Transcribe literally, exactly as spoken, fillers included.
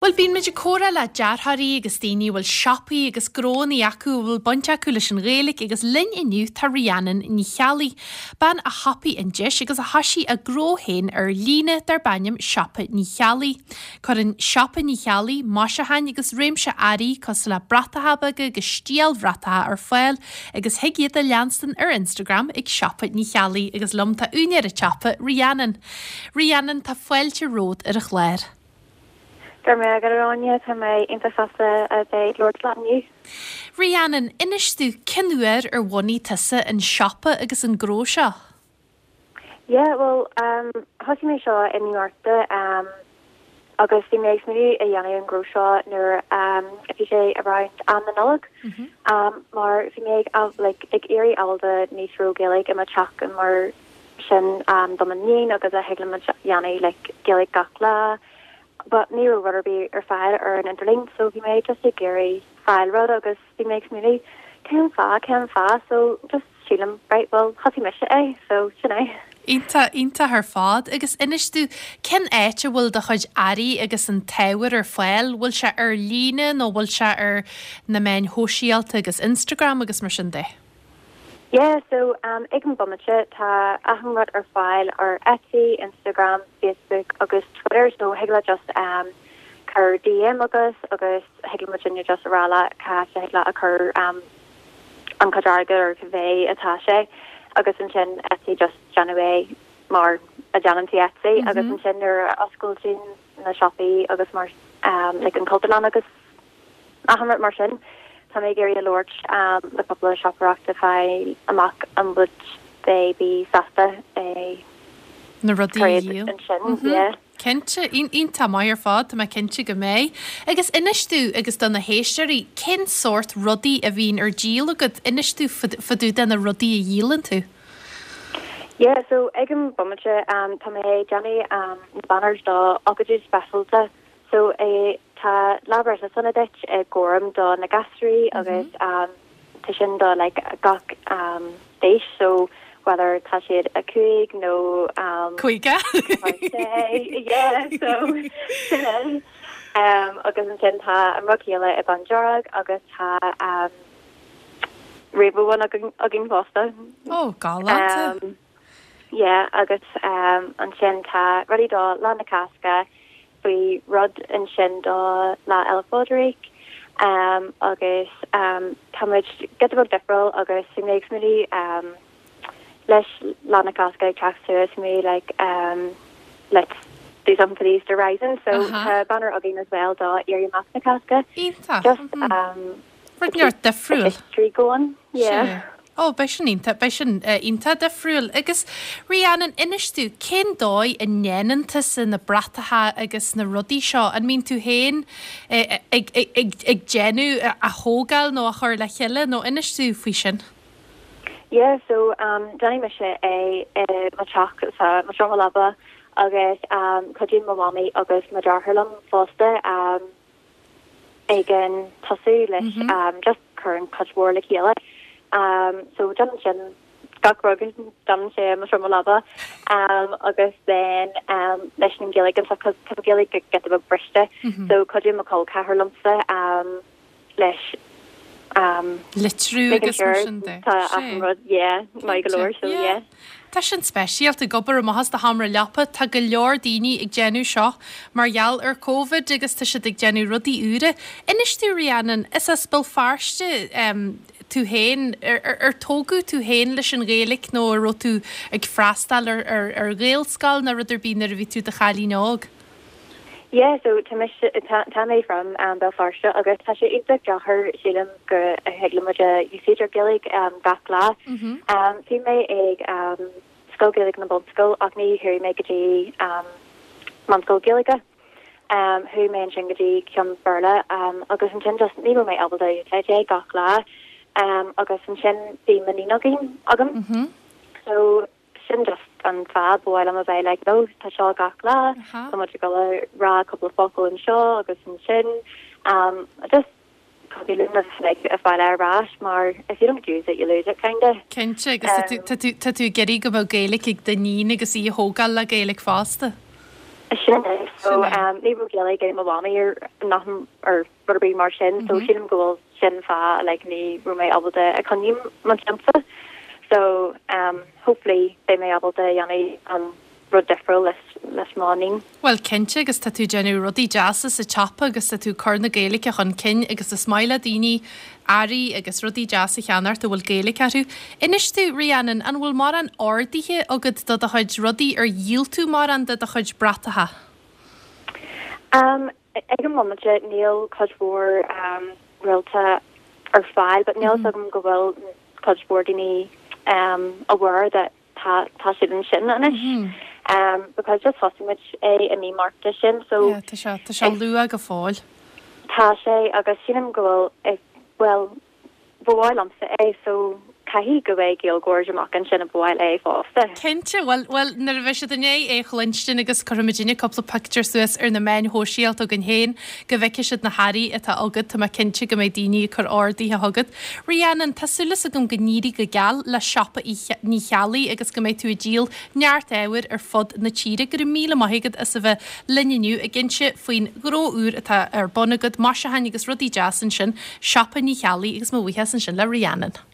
Bhuel bíonn muid ag comhrá le dearthóirí agus daoine bhfuil siopaí agus gnónna acu a bhfuil baint acu leis an Ghaeilge agus linn inniu tá Rhiannon Ní Cheallaigh, bean a thapaigh an deis agus a thosaigh a gnó féin ar líne darb ainm Siopa Ní Cheallaigh. Cuireann Siopa Ní Cheallaigh maisiúcháin agus réimse earraí cosúil le bratacha beaga agus stiallbhratacha ar fáil agus thig iad a leanstan ar Instagram ag Siopa Ní Cheallaigh agus liom tá úinéir an tsiopa Rhiannon. Rhiannon tá fáilte romhat ar an chlár. Gur mé go ráine tá mé iontach sásta a bheith labhairt leat inniu. Rhiannon, inis domh cén uair ar bhunaigh tusa an siopa agus an gnó seo? Yeah, well um, thosaigh mé seo i mí Márta um, agus bhí mé ag smaoineamh a dhéanamh an gnó seo nuair um, a bhí sé around am na Nollag mm -hmm. um, mar bhí mé ag like, ag iarraidh ábalta níos mó Gaeilge i mo theach mar sin um, do m'iníon agus a thig le dhéanamh like, Gaeilge gach lá. But ní raibh rud ar bith ar fáil ar an idirlíon, so bhí mé just ag iarraidh fáil rud agus bhí mé ag smaoineamh cén fáth cén fáth so just sílim right well thosaigh mise é so sin é. Iontach iontach ar fad agus inis domh cén áit a bhfuil do chuid earraí agus an t-ábhar ar fáil, bhfuil sé ar líne nó bhfuil sé ar na meáin shóisialta agus Instagram agus mar sin de. Yeah, so um, ag an bomaite tá achan rud ar fáil ar Etsy, Instagram, Facebook agus Twitter, so thig le just um, cur DM agus agus thig le muidinne just rá cá thig le a chur um, an chuid airgead ar cibé atá sé agus ansin Etsy just déanamh é mar a déanann tú Etsy mm -hmm. agus ansin nuair a osclaíonn na siopaí agus mar um, like an Cultúrlann agus achan rud mar sin. Tá mé ag iarraidh labhairt um, le cúpla siopaí fáil amach an would they be sásta é na rudaí a dhíol. ansin mm -hmm. yeah. Cinnte iontach maith ar fad tá mé cinnte go mbeidh. Agus inis domh agus do na héisteoirí cén sórt rudaí a bhíonn ar díol agat inis domh fá dtaobh de na rudaí a dhíolann tú. Yeah, so ag an bomaite um, tá mé déanamh um, banners do ócáidí speisialta so é tá Lá Breithe Sona Duit i gorm do na gasúirí mm -hmm. agus um, tá sin do like, gach um, aois so whether tá siad a cúig nó um, Caoga? yeah, so sin é. um, agus ansin tá an rud céanna i bándearg agus tá um, rainbow one againn againn fosta. Ó galánta. Um, yeah, agus um, ansin tá rudaí do Lá na Cásca faoi rud ansin do Lá Fhéile Pádraig um, agus um, tá muid giota beag difriúil agus bhí mé ag smaoineamh um, leis Lá na Cásca ag teacht suas mé like um, let's do something for the Easter Rising so Uh-huh. tá banner againn as well do Éirí Amach na Cásca Iontach. just um, Rud neart difriúil. history going yeah. Sea. Ó beidh sin iontach beidh sin uh, iontach difriúil agus Rhiannon inis domh cén dóigh a ndéanann tusa na bratacha agus na rudaí seo an mbíonn tú féin eh, ag, ag, ag, ag déanamh a, a thógáil nó a chur le chéile nó inis domh faoi sin. Yeah, so um déanaim mise é i mo theach sa mo seomra leapa agus um cuidíonn mo mamaí agus mo deartháir liom fosta um ag an tosú leis mm -hmm. um just cur an cuid mhór le chéile. Um so déanaim sin gach rud déanaim sé mo seomra leapa um agus then um leis an Gaeilge and stuff cos tá Gaeilge giota beag briste mm -hmm. so cuidíonn mo chol ceathar liomsa um leis um Litriú making agus mar sure sin de. tá Sea. achan rud yeah maith go leor so Yeah. yeah. Tá sin speisialta ag obair amach as do sheomra leapa tá go leor daoine ag déanamh seo mar gheall ar COVID agus tá siad ag déanamh rudaí úra. Inis domh Rhiannon is as Béal Feirste um, tú féin ar, ar, ar tógadh tú féin leis an Ghaeilge nó ar raibh tú ag freastal ar, ar, ar Ghaelscoil nó rud ar bith nuair a bhí tú i do chailín óg. Yeah, so tá mise tá tá mé from um, Béal Feirste agus tá sé iontach deacair sílim go thig le muid úsáid ar Gaeilge um, gach lá. Mm -hmm. Um, bhí mé ag um, Scoil Gaeilge na Bunscoil ach ní chuaigh mé go dtí um, meánscoil Gaeilge. Um, chuaigh mé ansin go dtí ceann Béarla um, agus ansin just ní raibh mé ábalta úsáid é gach lá. Um, agus ansin bhí m'iníon againn agam. Mm -hmm. So sin just an fáth ba mhaith liom a bheith like no tá seo gach lá Aha. Tá muid ag dul a rá cúpla focal anseo agus ansin um just copy like a fáil ar ais mar if you don't use it you lose it kinda. Cinnte agus tá tú- tá tú- tá tú ag iarraidh go mbeadh Gaeilge ag d'iníon agus í a thógáil le Gaeilge fosta. Sin é so um, ní raibh Gaeilge ag mo mhamaí ar nach ar rud ar bith mar sin so sílim go bhfuil sin fáth like ní raibh mé ábalta a choinneáil mo shiopa so um, hopefully beidh mé ábalta dhéanamh an rud difriúil leis leis mo iníon. Well cinnte agus tá tú déanamh rudaí deasa sa tsiopa agus tá tú cur na Gaeilge chun cinn agus is maith le daoine earraí agus rudaí deasa a cheannacht a bhfuil Gaeilge orthu. Inis domh Rhiannon an bhfuil mórán orduithe agat do do chuid rudaí ar dhíol tú mórán de do chuid bratacha. Um, ag an moment níl cuid mhór um, réalta ar fáil, but níl agam go bhfuil cuid mhór daoine um, aware that tá tá siad ansin anois. Mm -hmm. Um, because just thosaigh muid é i mí Márta sin so yeah, tá sé tá sé luath go fóill. Tá sé agus sílim go bhfuil well ba mhaith liomsa é so caithfidh go bhfuil Gaeilgeoirí amach ansin a ba mhaith é fosta. Cinnte well well nuair a bheidh siad in é é chluinstin agus cuirfimidne cúpla pictiúr suas ar na meáin shóisialta againn féin go bhfeicfidh siad na hearraí atá agat tá mé cinnte go mbeidh daoine ag cur orduithe chugat. Rhiannon tá súil agam go n-éirí go geal le siopa Ní Cheallaigh agus go mbeidh tú ag díol neart ábhair ar fud na tíre go raibh míle maith agat as a bheith linn inniu ag inse faoin ghnó úr atá ar bun agat maisiúcháin agus rudaí deasa ansin siopa Ní Cheallaigh agus mo bhuíochas ansin le Rhiannon.